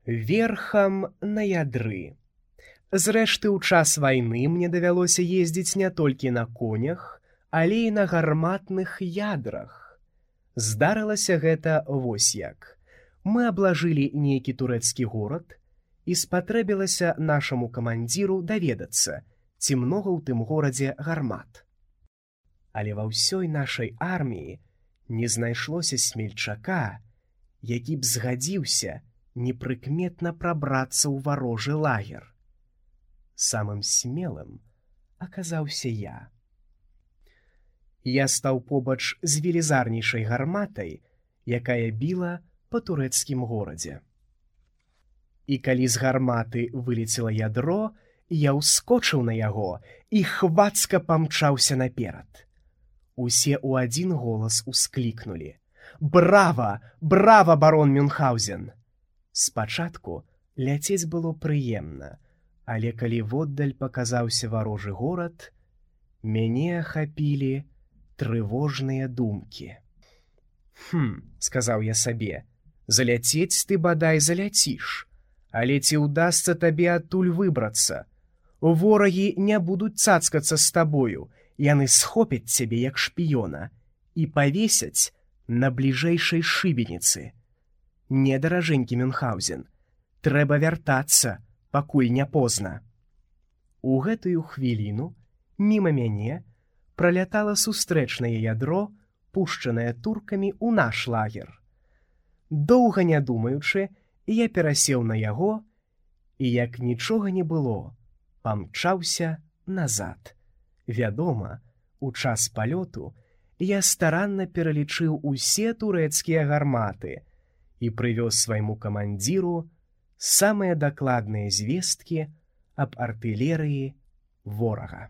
верхам на ядры. Зрэшты, у час вайны мне давялося ездзіць не толькі на конях, але і на гарматных ядрах. Здарылася гэта вось як. Мы аблажылі нейкі турэцкі горад, і спатрэбілася нашаму камандзіру даведацца, ці многа ў тым горадзе гармат. Але ва ўсёй нашай арміі не знайшлося смельчака, які б згадзіўся непрыкметна прабрацца ў варожы лагер. Самым смелым аказаўся я. Я стаў побач з велізарнейшай гарматай, якая біла па турэцкім горадзе. І калі з гарматы вылецела ядро, я ўскочыў на яго і хвацка памчаўся наперад. Усе ў адзін голас усклікнулі: «Брава! Брава, барон Мюнхгаузен!» Спачатку ляцець было прыемна, але калі воддаль паказаўся варожы горад, мяне ахапілі трывожныя думкі. Сказаў я сабе, заляцець ты бадай заляціш, але ці ўдасца табе адтуль выбрацца? Ворагі не будуць цацкацца з табою, яны схопяць цябе як шпіёна і павесяць на бліжэйшай шыбеніцы. Не, даражэнькі Мюнхгаузен, трэба вяртацца, пакуль не позна. У гэтую хвіліну міма мяне пралятала сустрэчнае ядро, пушчанае туркамі ў наш лагер. Доўга не думаючы, я перасеў на яго і, як нічога не было, памчаўся назад. Вядома, у час палёту я старанна пералічыў усе турэцкія гарматы і прывёз свайму камандзіру самыя дакладныя звесткі аб артылерыі ворага.